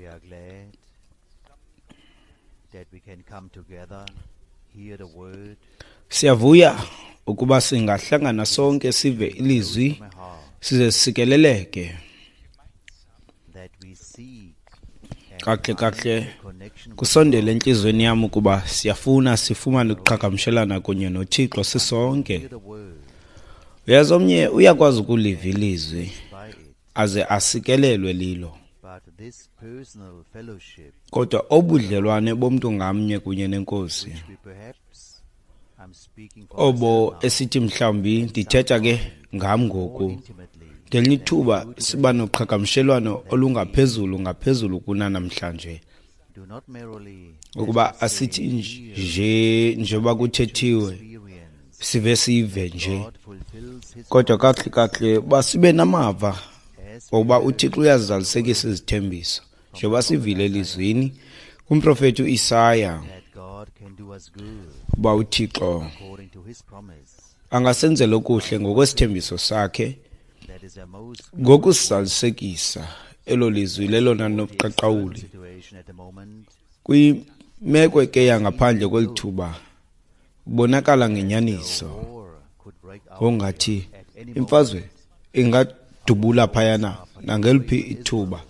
We are glad that we can come together, hear the word. Siyavuya ukuba singahlangana sonke sive ilizwi My heart size sikeleleke. that we seek and Kakuhle find kakuhle the connection with kusondele entliziyweni yam ukuba siyafuna sifumane ukuqhagamshelana kunye noThixo sisonke. hear the word Uyazi omnye uyakwazi ukuliva ilizwi by it. aze asikelelwe lilo. But this personal fellowship, Kodwa obudlelwane bomntu ngamnye kunye nenkosi which we perhaps I'm speaking for obo myself now, esithi mhlawumbi ndithetha ke ngam ngoku more intimately ngelinye ithuba siba noqhagamshelwano olungaphezulu ngaphezulu kunanamhlanje do not merely ukuba asithi nje njengoba kuthethiwe experience sive sive nje God fulfills his kodwa kakuhle kakuhle uba sibe namava as ngokuba uThixo uyazizalisekisa izithembiso njengoba sivile elizwini kumprofethi uIsaya that God can do us good uba uThixo according to his promise. angasenzela okuhle ngokwesithembiso sakhe That is a most ngokusizalisekisa elo lizwi lelona nobuqaqawuli situation at the moment. kwimeko ke yangaphandle kweli thuba kubonakala ngenyaniso War could break out ngongathi at any imfazwe ingadubula phayana nangeliphi ithuba.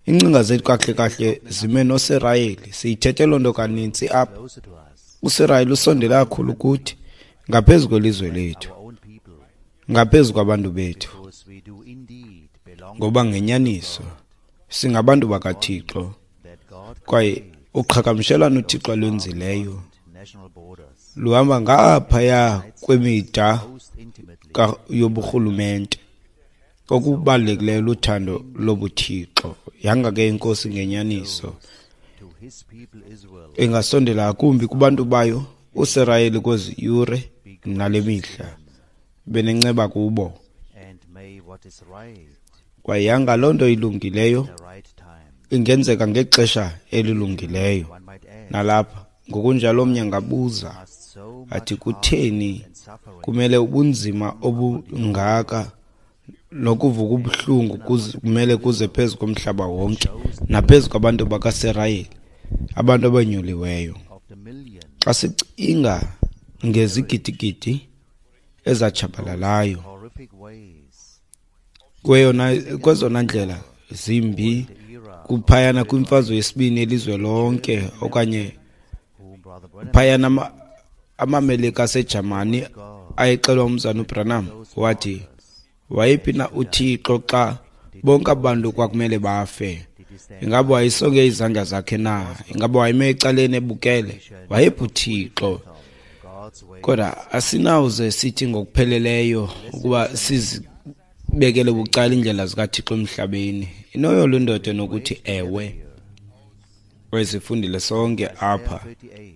Ingcinga zethu kakuhle kahle zime noSirayeli, siyithethe loo nto kanintsi apha. closer to us, uSirayeli usondele kakhulu kuthi ngaphezu kwelizwe lethu, our own people, ngaphezu kwabantu bethu, because we do indeed belong ngoba ngenyaniso singabantu bakaThixo that God kwaye uqhagamshelwano uThixo alwenzileyo national borders luhamba ngaphaya kwemida most intimately yoburhulumente. Okubalulekileyo luthando lobuThixo. Yanga ke inkosi ngenyaniso to his people Israel ingasondela ngakumbi kubantu bayo uSirayeli kwezi yure nale mihla benenceba kubo and may what is right kwaye yanga loo nto ilungileyo the right time. ingenzeka ngexesha elilungileyo. One might add Nalapha ngokunjalo omnye angabuza must so much athi kutheni and suffering kumele ubunzima obungaka nokuvuka ubuhlungu kumele kuze phezu komhlaba wonke naphezu kwabantu bakaSirayeli, abantu abanyuliweyo. of the million Xa sicinga ngezigidigidi ezatshabalalayo horrific ways kwezona ndlela zimbi the era kuphayana kwimfazwe yesibini elizwe lonke okanye whom Brother Branham phayana amaMelika aseJamani ayexelwa umzana uBranham wathi wayephi na uThixo xa bonke abantu kwakumele bafe? Ingaba wayesonge izandla zakhe na? Ingaba wayeme ecaleni ebukele? Wayephi uThixo? God's way Kodwa asinawuze sithi ngokupheleleyo ukuba sizibekele bucala iindlela zikaThixo emhlabeni. Inoyolo indoda enokuthi ewe. Kwesifundile sonke apha 38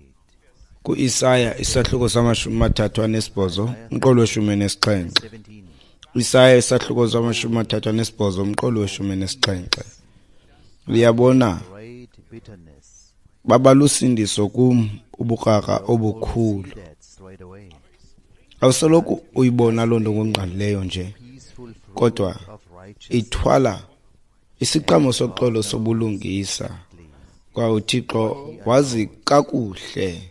kuIsaya isahluko sama-38 umqolo we-17. 17 Isaya isahluko sama-38 umqolo we-17. Uyabona great bitterness baba lusindiso kum ubukrakra obukhulu. see that straight away Awusoloko uyibona loo nto ngokungqalileyo nje, peaceful fruit kodwa of righteousness ithwala isiqhamo soxolo sobulungisa. Kwaye uThixo wazi kakuhle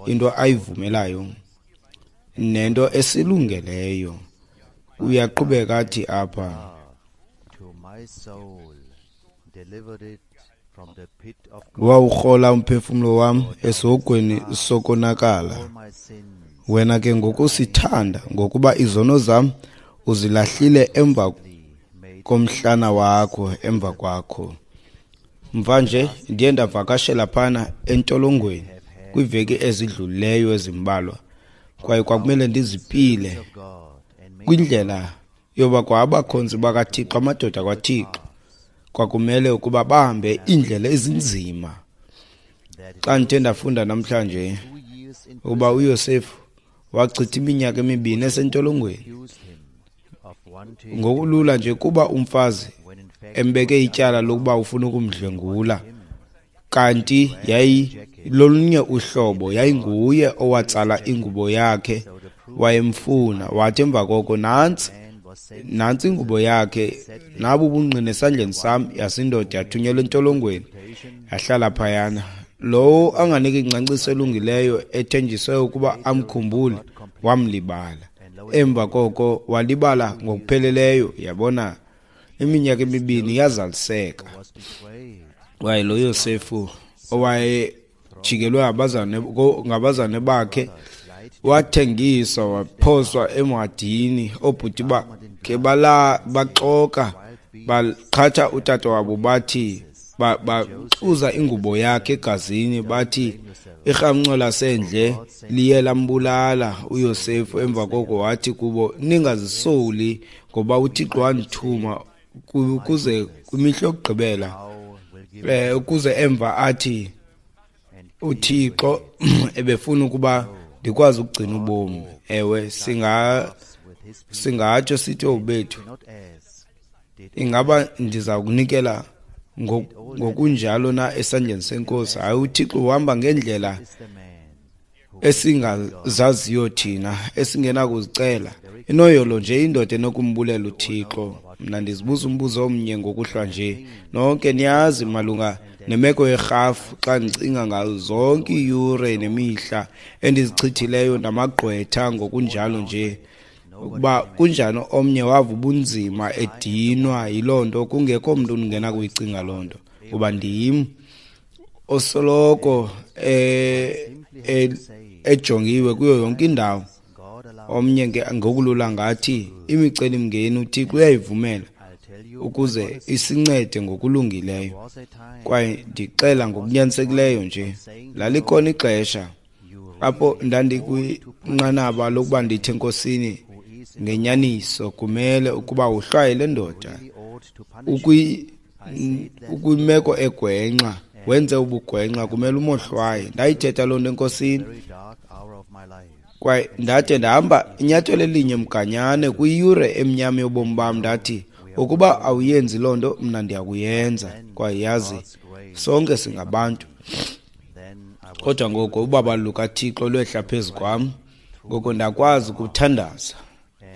into ayivumelayo nento esilungeleyo. Uyaqhubeka athi apha to my soul delivered it from the pit of wawurhola umphefumlo wam esihogweni sokonakala. all my sins Wena ke ngokusithanda ngokuba izono zam uzilahlile emva made komhlana wakho emva kwakho. Mva nje ndiye ndavakashela phana entolongweni kwiiveki ezidlulileyo ezimbalwa kwaye kwakumele ndizipile of God and made kwindlela yoba kwa abakhonzi bakaThixo, amadoda kwaThixo, kwakumele ukuba bahambe iindlela ezinzima. that Xa ndithe ndafunda namhlanje 2 years in ukuba uYosefu wachitha iminyaka emibini esentolongweni accused him of wanting ngokulula nje kuba umfazi when in fact embeke ityala lokuba ufuna ukumdlwengula, kanti yayilolunye uhlobo, yayinguye owatsala ingubo yakhe wayemfuna. Wathi emva koko nantsi Nantsi ingubo yakhe, nabu ubungqina esandleni sam. Yasindoda yathunyelwa entolongweni, yahlala phayana. Lowo anganiki ingcaciso elungileyo ethenjiswe ukuba amkhumbule, wamlibala. Emva koko walibala ngokupheleleyo, yabona, iminyaka emibini yazaliseka. Kwaye lo Yosefu owayejikelwe ngabazane bakhe wathengiswa, waphoswa emhadini. Oobhuti bakhe baxoka, baqhatha utata wabo, bathi baxuza ingubo yakhe egazini, bathi irhamncwa lasendle liye lambulala uYosefu. Emva koko wathi kubo, ningazisoli, ngoba uThixo wandithuma ukuze kwimihla yokugqibela, ukuze emva athi uThixo ebefuna ukuba ndikwazi ukugcina ubomi. Ewe, singatsho sithi obethu, ingaba ndiza kunikela ngokunjalo na esandleni senkosi? Hayi, uThixo uhamba ngendlela esingazaziyo thina, esingenakuzicela. Inoyolo nje indoda enokumbulela uThixo. Mna ndizibuza umbuzo omnye ngokuhlwa nje. Nonke niyazi malunga nemeko yerhafu, xa ndicinga ngazo zonke iiyure nemihla endizichithileyo namagqwetha ngokunjalo nje, ukuba kunjani omnye wava ubunzima edinwa yiloo nto, kungekho mntu ungena kuyicinga loo nto, kuba ndim osoloko ejongiwe kuyo yonke indawo. Omnye ngokulula ngathi imicelimngeni uThixo uyayivumela ukuze isincede ngokulungileyo. Kwaye ndixela ngokunyanisekileyo nje, lalikhona ixesha apho ndandikwinqanaba lokuba ndithe enkosini, ngenyaniso kumele ukuba uhlwaye le ndoda, ukwimeko egwenxa, wenze ubugwenxa, kumele umohlwaye. Ndayithetha loo nto enkosini, kwaye ndade ndahamba inyathelo elinye mganyane kwiyure emnyama yobomi bam. Ndathi, ukuba awuyenzi loo nto, mna ndiyakuyenza. Kwaye yazi, sonke singabantu. Kodwa ngoko ubabalo lukaThixo lwehla phezu kwam, ngoko ndakwazi ukuthandaza,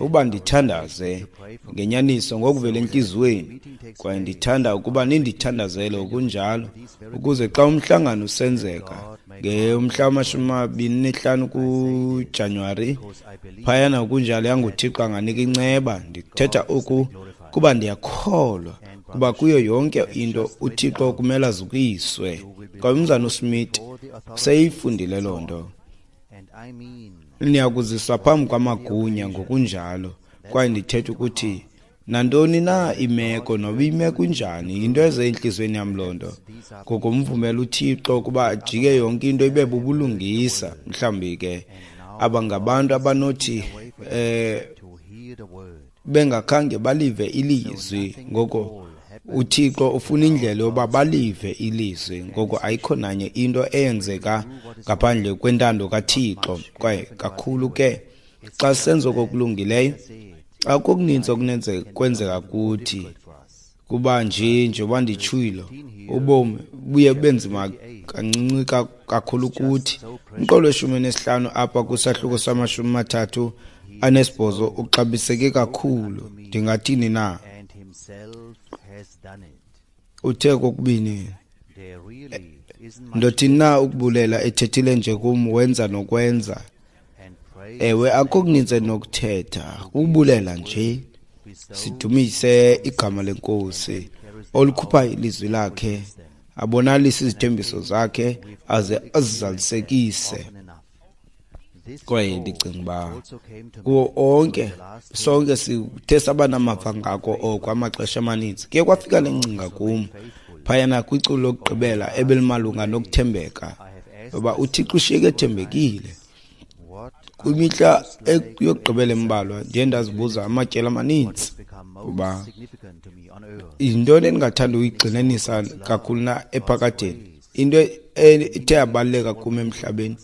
ukuba ndithandaze ngenyaniso ngokuvela entliziyweni. Kwaye ndithanda ukuba nindithandazele ngokunjalo, ukuze xa umhlangano usenzeka ngemhla wama-25 kuJanuwari phayana ngokunjalo, yanguThixo anganika inceba. Ndithetha oku kuba ndiyakholwa kuba kuyo yonke into uThixo kumele azukiswe. Kwaye umzana uSmith seyifundile loo nto. Niyakuziswa phambi kwamagunya ngokunjalo. Kwaye ndithetha ukuthi nantoni na imeko, noba imeko injani, yinto eze entliziyweni yam loo nto. Ngoko mvumela uThixo ukuba ajike yonke into ibe bubulungisa. Mhlawumbi ke aba ngabantu abanothi bengakhange balive ilizwi, ngoko uThixo ufuna indlela yoba balive ilizwi. Ngoko ayikho nanye into eyenzeka ngaphandle kwentando kaThixo. Kwaye kakhulu ke xa senza okulungileyo, akukho okuninzi okunenze kwenzeka kuthi, kuba nje njengoba nditshilo, ubomi buye benzima kancinci kakhulu kuthi. Umqolo we-15 apha kwisahluko sama-38 uxabiseke kakhulu. Ndingathini na? Uthe kokubini, ndothini na ukubulela ethethile nje kum, wenza nokwenza. Ewe, akukho kuninzi endinokuthetha, kukubulela nje. Sidumise igama lenkosi olukhupha ilizwi lakhe, abonalise izithembiso zakhe aze azizalisekise. Kwaye ndicinga uba kuwo onke, sonke sithe saba namava ngako oko amaxesha amaninzi. Kuye kwafika le ngcinga kum phayana kwiculo lokugqibela ebelimalunga nokuthembeka, ngoba uThixo ushiyeke ethembekile. Kwimihla yokugqibela embalwa ndiye ndazibuza amatyeli amaninzi uba yintoni endingathanda uyigxininisa kakhulu na ephakadeni, into ethe yabaluleka kum emhlabeni,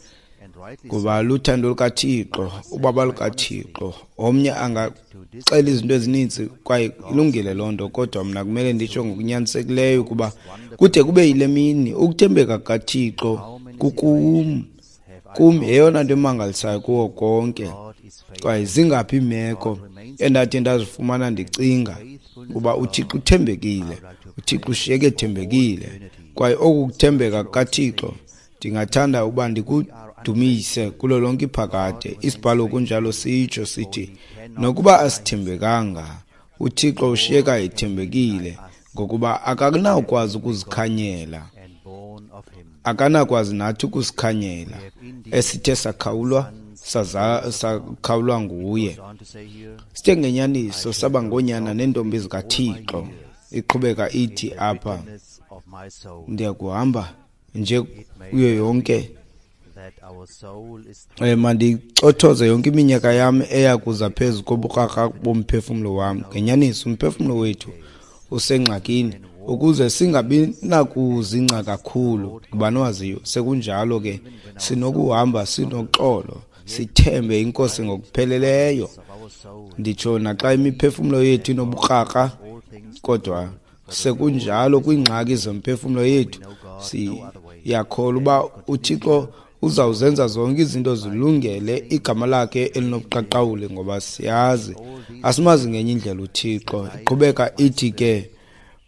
ngoba luthando lukaThixo, ubaba lukaThixo. Omnye angaxela izinto ezininzi, kwaye ilungile loo nto, kodwa mna kumele nditsho ngokunyanisekileyo ukuba kude kube yile mini ukuthembeka kukaThixo kukum. Kum yeyona nto emangalisayo kuwo konke. Kwaye zingaphi iimeko endathi ndazifumana ndicinga kuba uThixo uthembekile, uThixo ushiyeke ethembekile. Kwaye oku kuthembeka kukaThixo ndingathanda uba ndikudumise kulo lonke iphakade. Isibhalo kunjalo sitsho sithi nokuba asithembekanga, uThixo ushiyeka ethembekile, ngokuba akanawukwazi ukuzikhanyela, akanakwazi nathi ukusikhanyela esithe sakhawulwa sakhawulwa nguye. Sithe ngenyaniso saba ngoonyana neentombi zikaThixo. Iqhubeka ithi apha, ndiyakuhamba nje kuyo yonke, mandicothoze yonke iminyaka yam eya kuza phezu kobukrakra bomphefumlo wam. Ngenyaniso umphefumlo wethu usengxakini ukuze singabi nakuzingca kakhulu. Ngubani owaziyo? Sekunjalo ke sinokuhamba sinoxolo, sithembe iNkosi ngokupheleleyo. Nditsho naxa imiphefumlo yethu inobukrakra, kodwa sekunjalo kwiingxaki zomphefumlo yethu siyakholwa uba uThixo uzawuzenza zonke izinto zilungele igama lakhe elinobuqaqawuli, ngoba siyazi asimazi ngenye indlela uThixo. Iqhubeka ithi ke,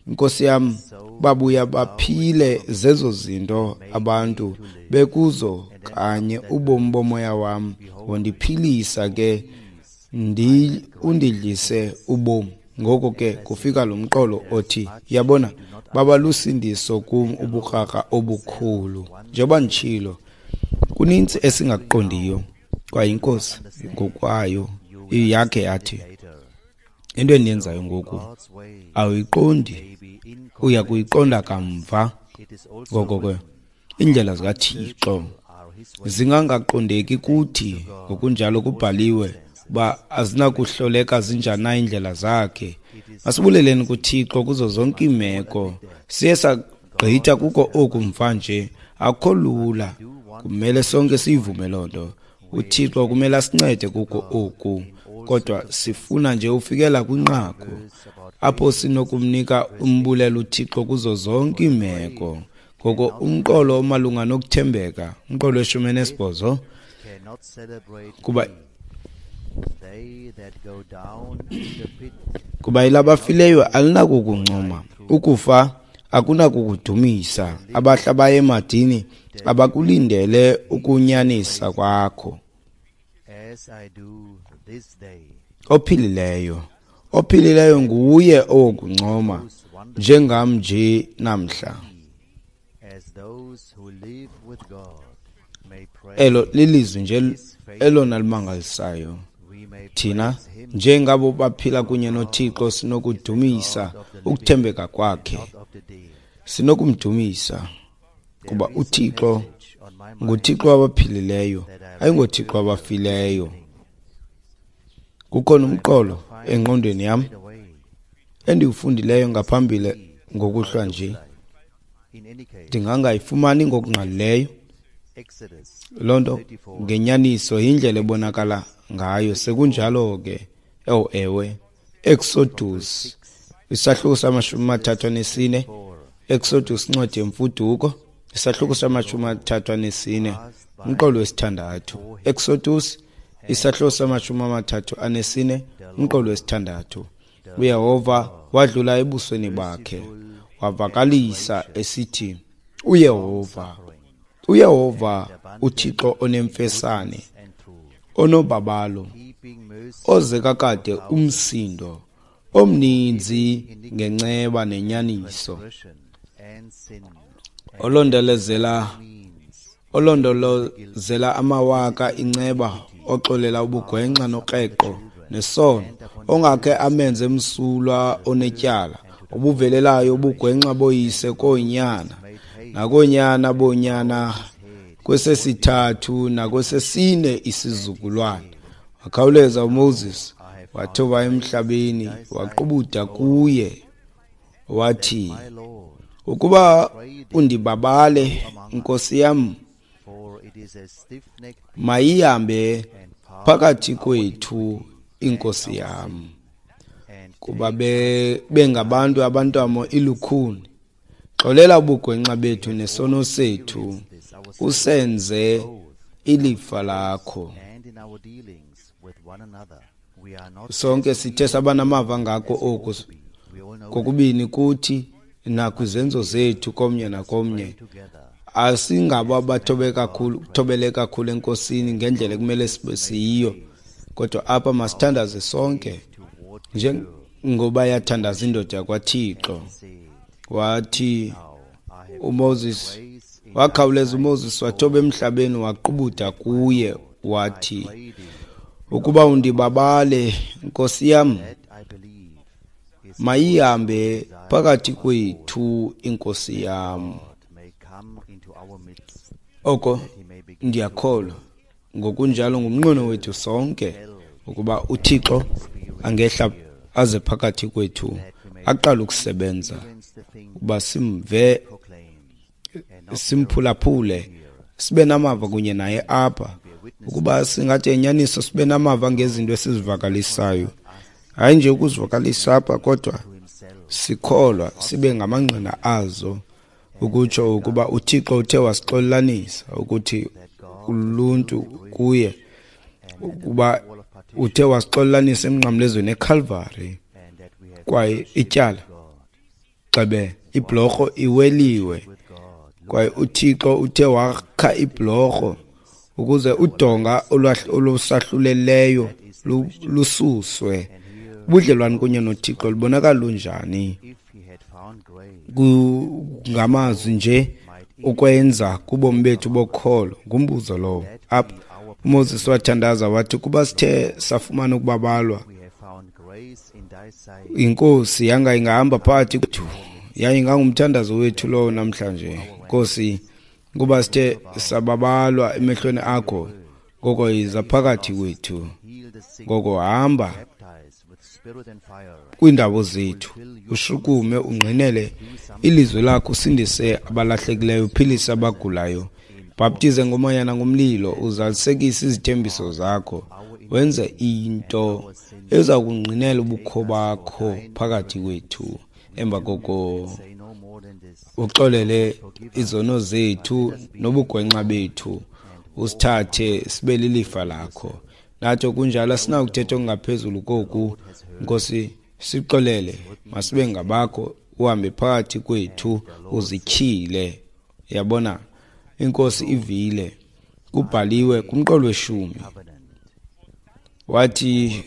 Nkosi yam, babuya baphile zezo zinto abantu bekuzo kanye ubomi bomoya wam, wondiphilisa ke undidlise ubomi. Ngoko ke kufika lo mqolo othi, yabona, baba lusindiso kum ubukrakra obukhulu. Njengoba nditshilo, kuninzi esingakuqondiyo, kwaye iNkosi ngokwayo yakhe yathi, into endiyenzayo ngoku awuyiqondi, uya kuyiqonda kamva. Ngoko ke iindlela zikaThixo zingangaqondeki kuthi, ngokunjalo kubhaliwe uba azinakuhloleka zinjani na iindlela zakhe. Masibuleleni kuThixo kuzo zonke iimeko. Siye sagqitha kuko oku mva nje, akukho lula, kumele sonke siyivume loo nto. uThixo kumele asincede kuko oku, kodwa sifuna nje ufikela kwinqaku apho sinokumnika umbulelo uThixo kuzo zonke iimeko. Ngoko umqolo omalunga nokuthembeka, umqolo we-18, kuba elabafileyo alinakukuncoma, ukufa akunakukudumisa, abahla baye emadini abakulindele ukunyanisa kwakho. Ophilileyo, ophilileyo nguye owokuncoma, njengam nje namhla. Elo lilizwi nje elona limangalisayo. Thina njengabo baphila kunye noThixo sinokudumisa ukuthembeka kwakhe, sinokumdumisa kuba uThixo nguThixo wabaphilileyo, ayingoThixo wabafileyo. Kukhona umqolo engqondweni yam endiwufundileyo ngaphambili ngokuhlwa nje, ndingangayifumani ngokungqalileyo loo nto. Ngenyaniso yindlela ebonakala ngayo. Sekunjalo ke, ewe, Exodus isahluko sama-34, Exodus incwadi yemfuduko isahluko sama-34, umqolo wesithandathu. Exodus isahluko sama-34, umqolo wesithandathu. uYehova wadlula ebusweni bakhe, wavakalisa esithi, uYehova, uYehova uThixo onemfesane, onobabalo, ozeka kade umsindo, omninzi ngenceba nenyaniso, olondolozela amawaka inceba, oxolela ubugwenxa nokreqo nesono, ongakhe amenze msulwa onetyala, obuvelelayo ubugwenxa boyise koonyana nakoonyana boonyana kwesesithathu nakwesesine isizukulwana. Wakhawuleza uMoses wathoba emhlabeni, waqubuda kuye wathi, ukuba undibabale, Nkosi yam, mayihambe phakathi kwethu inkosi yam, kuba bengabantu abantamo ilukhuni. Xolela ubugwenxa bethu nesono sethu, usenze ilifa lakho. Sonke sithe sabanamava ngako oku, kokubini kuthi nakwizenzo zethu komnye nakomnye. Asingabo abathobe kakhulu, thobele kakhulu eNkosini ngendlela ekumele sibe siyiyo, kodwa apha masithandaze sonke njengoba yathandaza indoda yakwaThixo. Wathi uMoses, wakhawuleza uMoses wathoba emhlabeni, waqubuda kuye wathi, ukuba undibabale, Nkosi yam, mayihambe phakathi kwethu iNkosi yam. Oko ndiyakholwa ngokunjalo ngumnqweno wethu sonke ukuba uThixo angehla aze phakathi kwethu aqale ukusebenza, ukuba simve, simphulaphule, sibe namava kunye naye apha, ukuba singathi enyaniso sibe namava ngezinto esizivakalisayo, hayi nje ukuzivakalisa apha, kodwa sikholwa sibe ngamangqina azo, ukutsho ukuba uThixo uthe wasixolelanisa ukuthi uluntu kuye, ukuba uthe wasixolelanisa emnqamlezweni eCalvary, kwaye ityala gxebe ibhlorho iweliwe, kwaye uThixo uthe wakha ibhlorho ukuze udonga olusahluleleyo lususwe. Ubudlelwane kunye noThixo lubonakala lunjani? Ngamazwi nje ukwenza kubomi bethu bokholo, ngumbuzo lowo. Apha uMoses wathandaza wathi, kuba sithe safumana ukubabalwa iNkosi, yanga ingahamba phakathi kwethu. Yaye ingangumthandazo wethu lowo namhlanje. Nkosi, kuba sithe sababalwa emehlweni akho, ngoko yiza phakathi kwethu, ngoko hamba kwiindawo zethu, ushukume ungqinele ilizwi lakho, usindise abalahlekileyo, uphilise abagulayo, bhaptize ngomoya nangomlilo, uzalisekise izithembiso zakho, wenze into eza kungqinela ubukho bakho phakathi kwethu. Emva koko uxolele izono zethu nobugwenxa bethu, usithathe sibe lilifa lakho. Nathi kunjalo asinakuthetha okungaphezulu koku. Nkosi, sixolele, masibe ngabakho, uhambe phakathi kwethu, uzityhile. Yabona, iNkosi ivile, kubhaliwe kumqolo weshumi. Wathi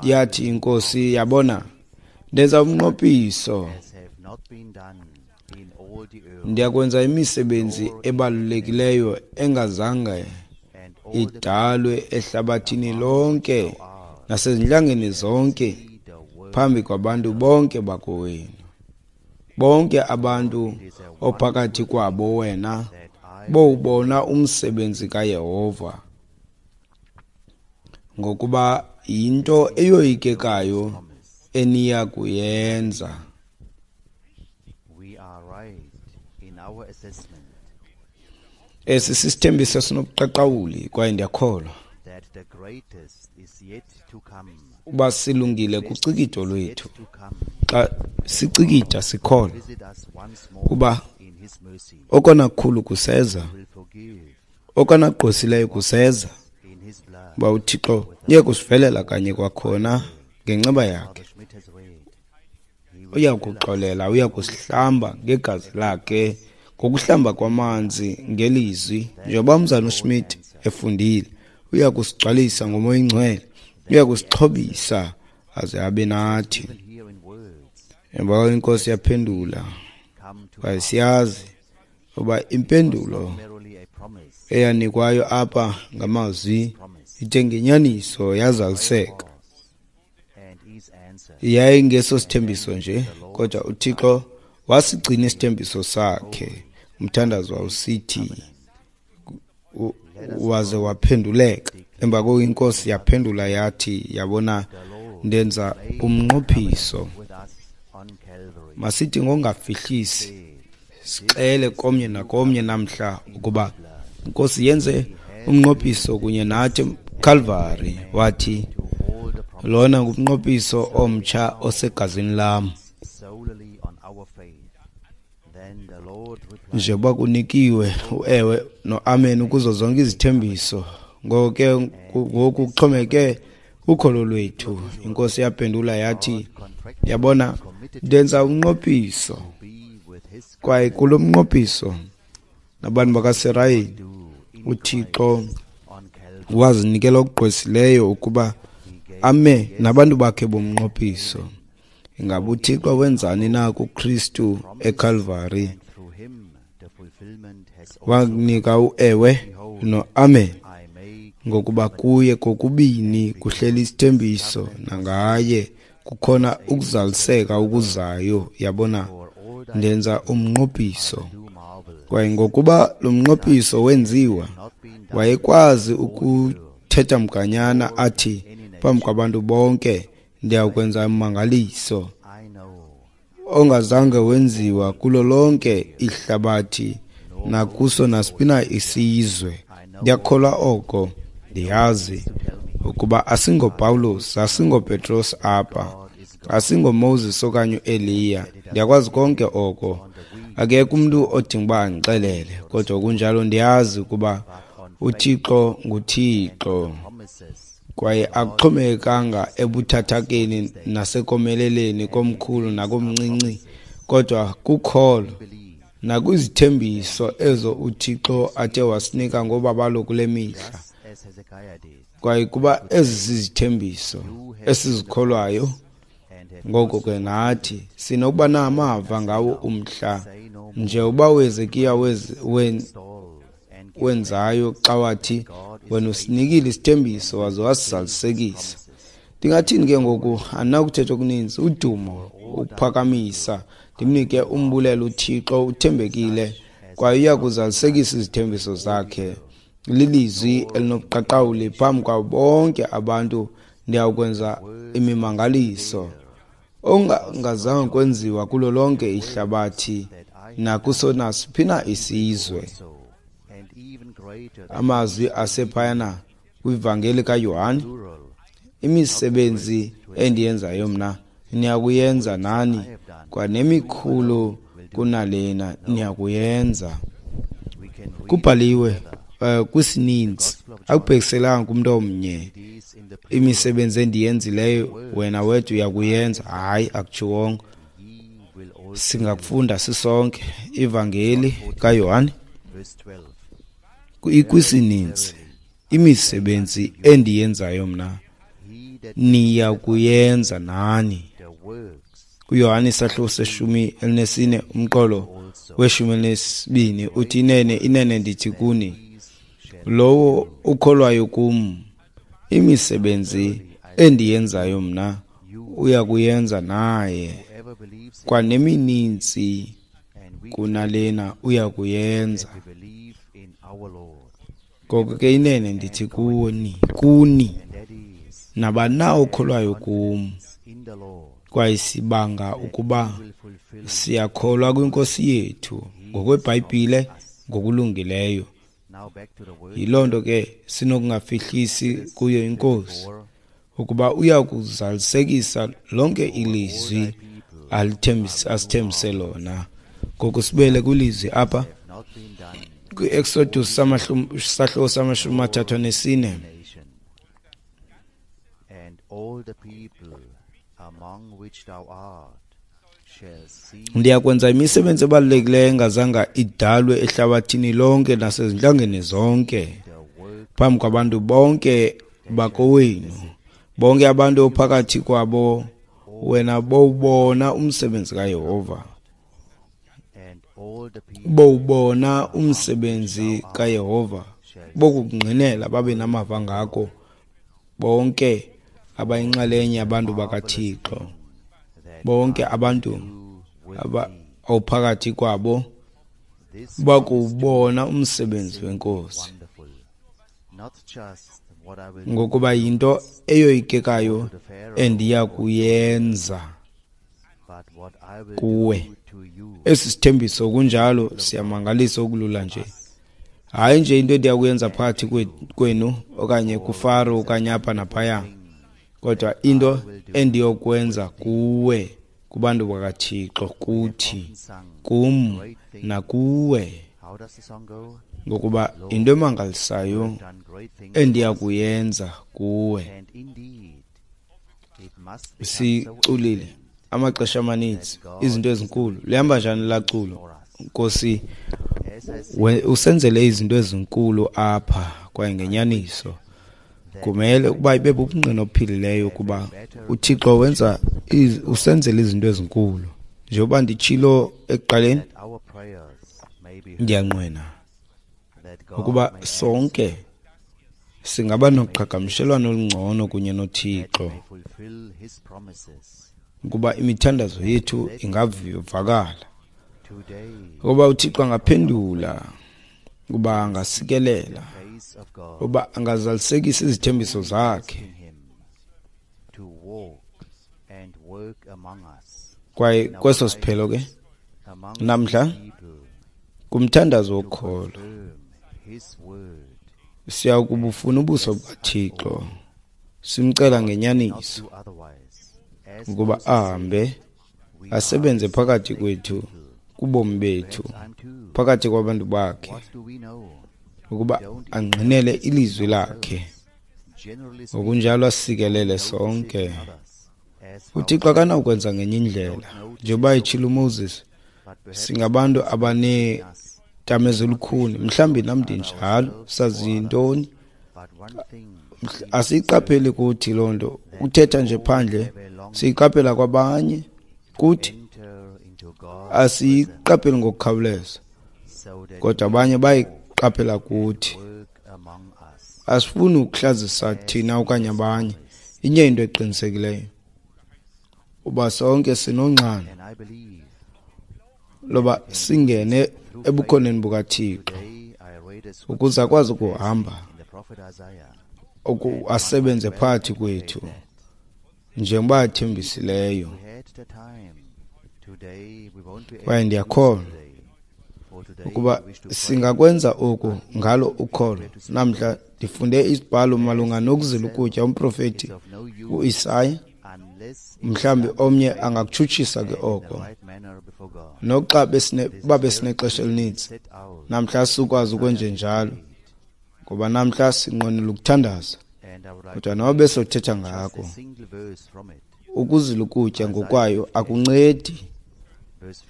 yathi iNkosi, yabona, ndenza umnqophiso, ndiyakwenza imisebenzi ebalulekileyo engazange idalwe ehlabathini lonke nasezintlangeni zonke phambi kwabantu bonke bakowenu. Bonke abantu ophakathi kwabo wena bowubona umsebenzi kaYehova, ngokuba yinto eyoyikekayo eniya kuyenza. Esi sisithembiso sinobuqaqawuli, kwaye ndiyakholwa uba silungile kucikitho lwethu. Xa sicikida sikholwa kuba okona kukhulu kuseza, okona kugqwesileyo kuseza, uba uThixo uye kusivelela kanye kwakhona ngenceba yakhe. Uya kuxolela, uya kusihlamba ngegazi lakhe, ngokuhlamba kwamanzi ngelizwi, njengoba umzana uSmith efundile. Uya kusigcwalisa ngoMoya oyiNgcwele, uya kusixhobisa aze abe nathi. Emva inkosi yaphendula, kwaye siyazi uba impendulo eyanikwayo apha ngamazwi ithe ngenyaniso yazaliseka. Yayingeso sithembiso nje, kodwa uThixo wasigcina isithembiso sakhe. Umthandazo wawusithi waze waphenduleka. Emva koko inkosi yaphendula yathi, yabona, ndenza umnqophiso. Masithi ngongafihlisi sixele komnye nakomnye namhla ukuba inkosi yenze umnqophiso kunye nathi Calvary. Wathi lona ngumnqophiso omtsha osegazini lam. Njengoba kunikiwe uewe noamen kuzo zonke izithembiso Ngoko ke ngoku kuxhomeke ukholo lwethu. Inkosi yaphendula yathi, yabona, ndenza umnqophiso, kwaye kulo mnqophiso nabantu bakaSirayeli uThixo wazinikela okugqwesileyo ukuba ame nabantu bakhe bomnqophiso. Ingaba uThixo wenzani na kuKristu eCalvary? Wanika uewe noamen, ngokuba kuye kokubini kuhleli isithembiso, nangaye kukhona ukuzaliseka okuzayo. Yabona, ndenza umnqophiso. Kwaye ngokuba lo mnqophiso wenziwa, wayekwazi ukuthetha mganyana athi phambi kwabantu bonke, ndiyakwenza ummangaliso ongazange wenziwa kulo lonke ihlabathi nakuso nasiphi na isizwe. Ndiyakholwa oko. Ndiyazi ukuba asingoPawulos, asingoPetros apha, asingoMoses okanye uEliya. Ndiyakwazi konke oko. Akekho umntu odinga uba andixelele, kodwa kunjalo ndiyazi ukuba uThixo nguThixo, kwaye akuxhomekekanga ebuthathakeni nasekomeleleni komkhulu nakomncinci, kodwa kukholo nakwizithembiso ezo uThixo athe wasinika ngobabalo kule mihla. Kwaye kuba ezi zizithembiso esizikholwayo, ngoko ke nathi sinokuba namava ngawo umhla, nje uba uHezekiya wenzayo xa wathi, wena usinikile isithembiso waze wasizalisekisa. Ndingathini ke ngoku? Andinakuthetha okuninzi. Udumo, ukuphakamisa, ndimnike umbulelo uThixo uthembekile kwaye uya kuzalisekisa izithembiso zakhe. Lilizwi elinobuqaqawuli phambi kwabo bonke abantu, ndiyakwenza imimangaliso ongazange kwenziwa kulo lonke ihlabathi nakuso nasiphi na isizwe. Amazwi asephayana kwivangeli kaYohane, imisebenzi endiyenzayo mna niyakuyenza nani, kwanemikhulu kunalena niyakuyenza. Kubhaliwe kwisininzi, akubhekiselanga kumntu omnye. Imisebenzi endiyenzileyo wena wedwa uyakuyenza. Hayi, akutshiwongo. Singakufunda sisonke ivangeli kaYohane ikwisininzi, imisebenzi endiyenzayo mna niyakuyenza nani. uYohane isahluko se-14 umqolo we-12 uthi, inene inene ndithi kuni, lowo ukholwayo kum, imisebenzi endiyenzayo mna uyakuyenza naye, kwanemininzi kunalena uyakuyenza. Ngoko ke inene ndithi kuni, nabani na okholwayo kum, kwaye sibanga ukuba siyakholwa kwinkosi yethu ngokweBhayibhile ngokulungileyo. Yiloo nto ke sinokungafihlisi kuyo inkosi, ukuba uya kuzalisekisa lonke ilizwi asithembise lona. Ngoku sibuyele kwilizwi apha kwi-Exodus sahluko sama-34. Ndiyakwenza imisebenzi ebalulekileyo engazanga idalwe ehlabathini lonke nasezintlangeni zonke, phambi kwabantu bonke bakowenu, bonke abantu ophakathi kwabo, wena bowubona umsebenzi kaYehova. Bowubona umsebenzi kaYehova, bokungqinela babe namava ngako bonke abayinxalenye abantu bakaThixo, bonke abantu ophakathi kwabo bakubona umsebenzi wenkosi, ngokuba yinto eyoyikekayo endiya kuyenza kuwe. Esi sithembiso kunjalo siyamangalisa okulula nje. Hayi nje into endiya kuyenza phakathi kwenu okanye kuFaro okanye apha naphaya, kodwa into endiyokwenza kuwe, kubantu bakaThixo, kuthi, kum nakuwe. Ngokuba yinto emangalisayo endiya kuyenza kuwe. Siculile amaxesha amaninzi izinto ezinkulu. Lihamba njani laa culo? Nkosi, usenzele izinto ezinkulu apha, kwaye ngenyaniso kumele ukuba ibe bubungqina obuphilileyo ukuba uThixo wenza usenzele izinto ezinkulu. Njengoba nditshilo ekuqaleni, ndiyanqwena ukuba sonke singaba noqhagamshelwano olungcono kunye noThixo, ukuba imithandazo yethu ingavakala, ukuba uThixo angaphendula, ukuba angasikelela, ukuba angazalisekisa izithembiso zakhe. Kwaye kweso siphelo ke namhla kumthandazo wokholo siya kubufuna ubuso bukaThixo, simcela ngenyaniso ukuba ahambe asebenze phakathi kwethu, kubomi bethu, phakathi kwabantu bakhe, ukuba angqinele ilizwi lakhe, ngokunjalo asikelele sonke. UThixo akanawukwenza ngenye indlela. Njengoba etshilo uMoses, singabantu abaneentamo ezilukhuni, mhlawumbi nam ndinjalo, sazi yintoni? Asiyiqapheli kuthi loo nto, uthetha nje phandle, siyiqaphela kwabanye, kuthi asiyiqapheli ngokukhawuleza, kodwa abanye bayiqaphela kuthi. Asifuni ukuhlazisa thina okanye abanye. Inye into eqinisekileyo, uba sonke sinonxano loba singene ebukhoneni bukaThixo ukuze akwazi ukuhamba asebenze phakathi kwethu njengoba athembisileyo. Kwaye ndiyakholwa ukuba singakwenza oku ngalo ukholo. Namhla ndifunde isibhalo malunga nokuzila ukutya, umprofeti uIsaya. Mhlawumbi omnye angakutshutshisa ke oko, noxa uba besinexesha elininzi namhla sikwazi ukwenjenjalo, ngoba namhla sinqwenela ukuthandaza, kodwa noba besothetha ngako, ukuzila ukutya ngokwayo akuncedi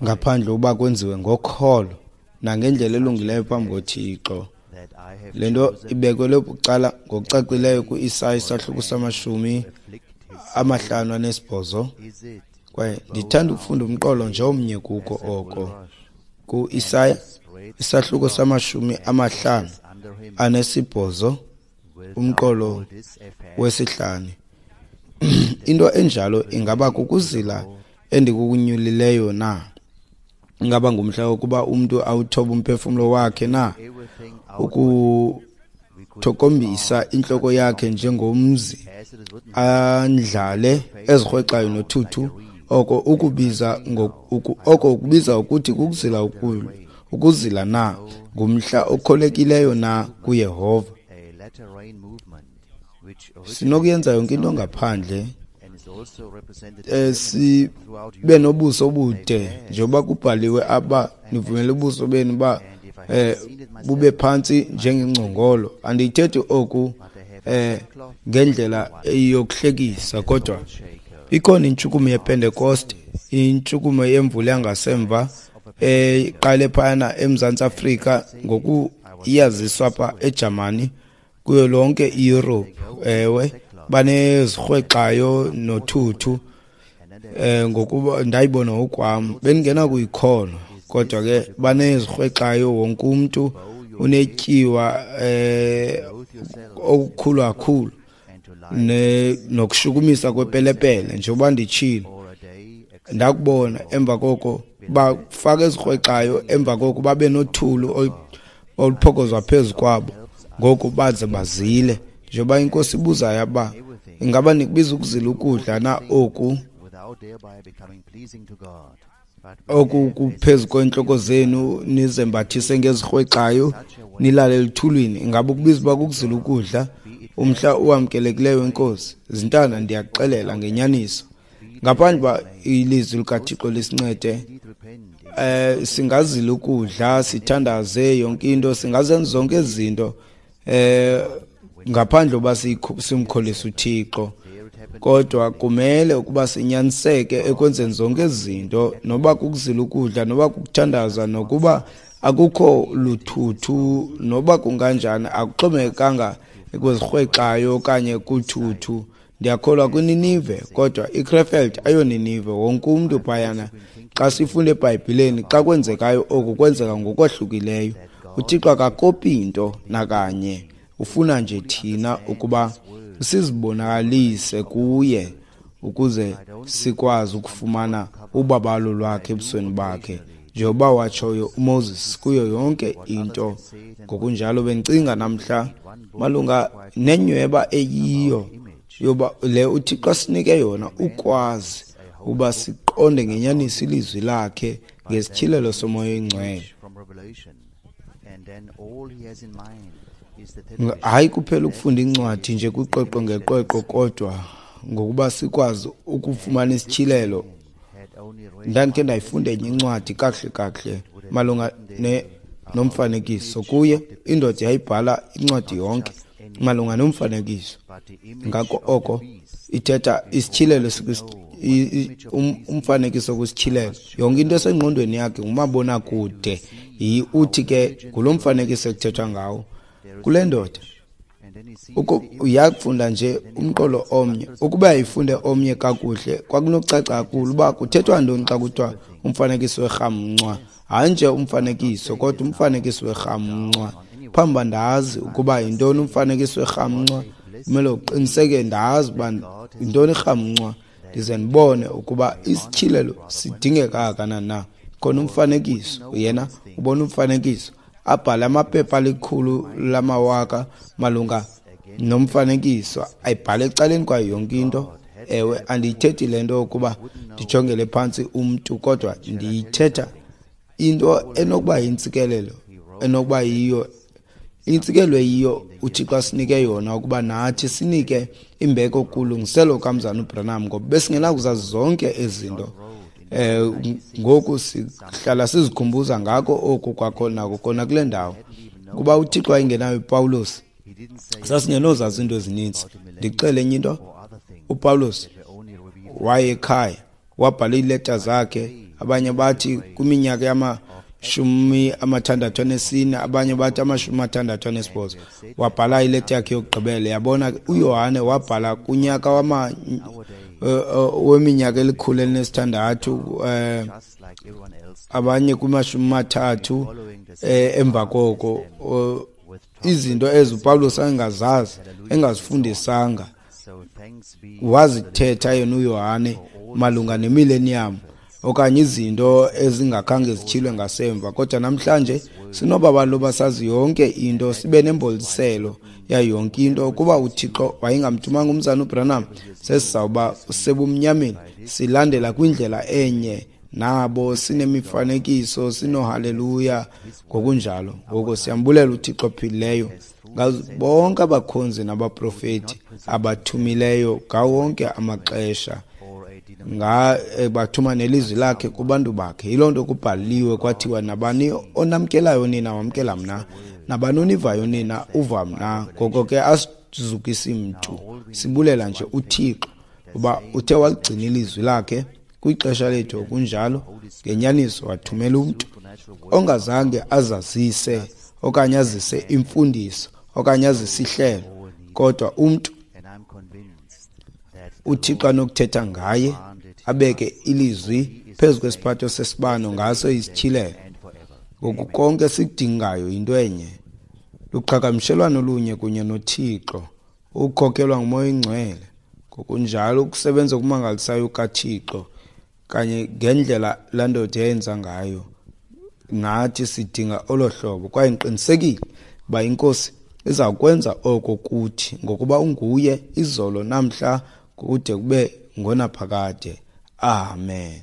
ngaphandle uba kwenziwe ngokholo nangendlela elungileyo phambi koThixo. Le nto ibekelwe bucala ngokucacileyo ku-Isaya isahluko sama-58. Kwaye ndithanda ukufunda umqolo nje omnye kuko oko, ku-Isaya isahluko sama-58 umqolo wesihlanu. Into enjalo ingaba kukuzila endikunyulileyo na? Ingaba ngumhla wokuba umntu awuthobe umphefumlo wakhe na? Ukuthokombisa intloko yakhe njengomzi, andlale ezirhwexayo nothuthu, oko ukubiza oko ukubiza ukuthi kukuzila ukuzila na? Ngumhla okholekileyo na kuYehova? Sinokuyenza yonke into ngaphandle sibe nobuso obude, njengoba kubhaliwe apha, nivumele ubuso benu uba bube phantsi njengengcongolo. Andiyithethi oku ngendlela yokuhlekisa, kodwa ikhona intshukumo yePentekoste, intshukumo yemvula yangasemva eqale phayana eMzantsi Afrika, ngoku iyaziswa apha eJamani, kuyo lonke iEurope. Ewe, banezirhwexayo nothuthu, ngokuba ndayibona ngokwam, bendingena kuyikholwa, kodwa ke banezirhwexayo, wonke umntu unetyiwa okukhulu kakhulu nokushukumisa kwepelepele. Njengoba nditshilo, ndakubona emva koko bafaka ezirhwexayo, emva koko babe nothulu oluphokozwa phezu kwabo, ngoku baze bazile. Njengoba iNkosi ibuzayo uba ingaba nikubiza ukuzila ukudla na oku oku kuphezu kweentloko zenu, nizembathise ngezirhwexayo, nilale eluthulwini, ingaba ukubiza uba kukuzila ukudla umhla owamkelekileyo wenkosi? Zintanda, ndiyakuxelela ngenyaniso, ngaphandle uba ilizwi likaThixo lisincede, Singazila ukudla, sithandaze yonke into, singazenza zonke ezi zinto ngaphandle uba simkholise uThixo, kodwa kumele ukuba sinyaniseke ekwenzeni zonke ezi zinto, noba kukuzila ukudla, noba kukuthandaza, nokuba akukho luthuthu, noba kunganjani, akuxhomekekanga kwezirhwexayo okanye kuthuthu. Ndiyakholwa kwiNinive, kodwa iKrefeld ayoNinive. Wonke umntu phayana, xa sifunda eBhayibhileni, xa kwenzekayo oku kwenzeka ngokwahlukileyo. UThixo akakopi nto nakanye, ufuna nje thina ukuba sizibonakalise kuye ukuze sikwazi ukufumana ubabalo lwakhe ebusweni bakhe, njengoba watshoyo uMoses kuyo yonke into. Ngokunjalo bendicinga namhla malunga nenyweba eyiyo yoba le uThixo asinike yona, ukwazi uba siqonde ngenyaniso ilizwi lakhe ngesityhilelo soMoya oyiNgcwele. Hayi kuphela ukufunda incwadi nje kwiqweqwe ngeqweqwe, kodwa ngokuba sikwazi ukufumana isityhilelo. Ndandikhe ndayifunda enye incwadi kakuhle kakuhle malunga nomfanekiso. Kuye indoda yayibhala incwadi yonke malunga nomfanekiso, ngako oko ithetha isityhilelo, umfanekiso kwisityhilelo. Yonke into esengqondweni yakhe ngumabonakude, uthi ke ngulo mfanekiso ekuthethwa ngawo kule ndoda. Uyakufunda nje umqolo omnye, ukuba yayifunde omnye kakuhle kwakunokucaca kakhulu uba kuthethwa ntoni xa kuthiwa umfanekiso werhamncwa. Hayi nje umfanekiso, kodwa umfanekiso werhamncwa. Phambi uba ndazi ukuba yintoni umfanekiso werhamncwa, kumele uqiniseke ndazi uba yintoni irhamncwa, ndize ndibone ukuba isityhilelo sidingeka kangakanani na. Khona umfanekiso, yena ubona umfanekiso, abhale amaphepha alikhulu lamawaka malunga nomfanekiso, ayibhale ecaleni kwayo yonke into. Ewe, andiyithethi le nto ukuba ndijongele phantsi umntu, kodwa ndiyithetha into enokuba yintsikelelo, enokuba yiyo intsikelelo eyiyo uThixo asinike yona, ukuba nathi sinike imbeko kulungiselo kaMzana uBranham, ngoba besingenakuzazi zonke ezi zinto. Ngoku sihlala sizikhumbuza ngako oku kwakho nako kona kule ndawo, kuba uThixo wayengenayo uPawulos, sasingenozazi izinto ezininzi. Ndixele enye into, uPawulos waye ekhaya wabhala iileta zakhe, abanye bathi kwiminyaka yama-64, abanye bathi 68, wabhala ileta yakhe yokugqibela. Yabona, uYohane wabhala kunyaka weminyaka 106, abanye kuma-30 emva koko. Izinto ezi uPawulos engazazi, engazifundisanga, wazithetha yena uYohane malunga nemillennium okanye izinto ezingakhange zityhilwe ngasemva. Kodwa namhlanje sinobabalo basazi yonke into, sibe nemboliselo yayo yonke into. Ukuba uThixo wayengamthumanga umzana uBranham, sesizawuba sebumnyameni, silandela kwindlela enye nabo, sinemifanekiso, sinohaleluya ngokunjalo. Ngoko siyambulela uThixo ophilileyo bonke abakhonzi nabaprofeti abathumileyo ngawo wonke amaxesha, bathuma nelizwi lakhe kubantu bakhe. Yiloo nto kubhaliwe kwathiwa, nabani onamkelayo nina wamkela mna, nabani onivayo nina uva mna. Ngoko ke asizukisi mntu, sibulela nje uThixo uba uthe waligcina ilizwi lakhe kwixesha lethu. Kunjalo, ngenyaniso wathumela umntu ongazange azazise okanye azise imfundiso okanye azise ihlelo, kodwa umntu uThixo anokuthetha ngaye, abeke ilizwi phezu kwesiphatho sesibano, ngaso isityhilelo. Ngoku konke sikudingayo yinto enye, luqhagamshelwano olunye kunye noThixo, ukukhokelwa nguMoya oyiNgcwele. Ngokunjalo ukusebenza okumangalisayo kaThixo kanye ngendlela laa ndoda yayenza ngayo, nathi sidinga olo hlobo. Kwaye ndiqinisekile uba iNkosi iza kwenza oko kuthi, ngokuba unguye izolo, namhla, kude kube ngonaphakade. Amen.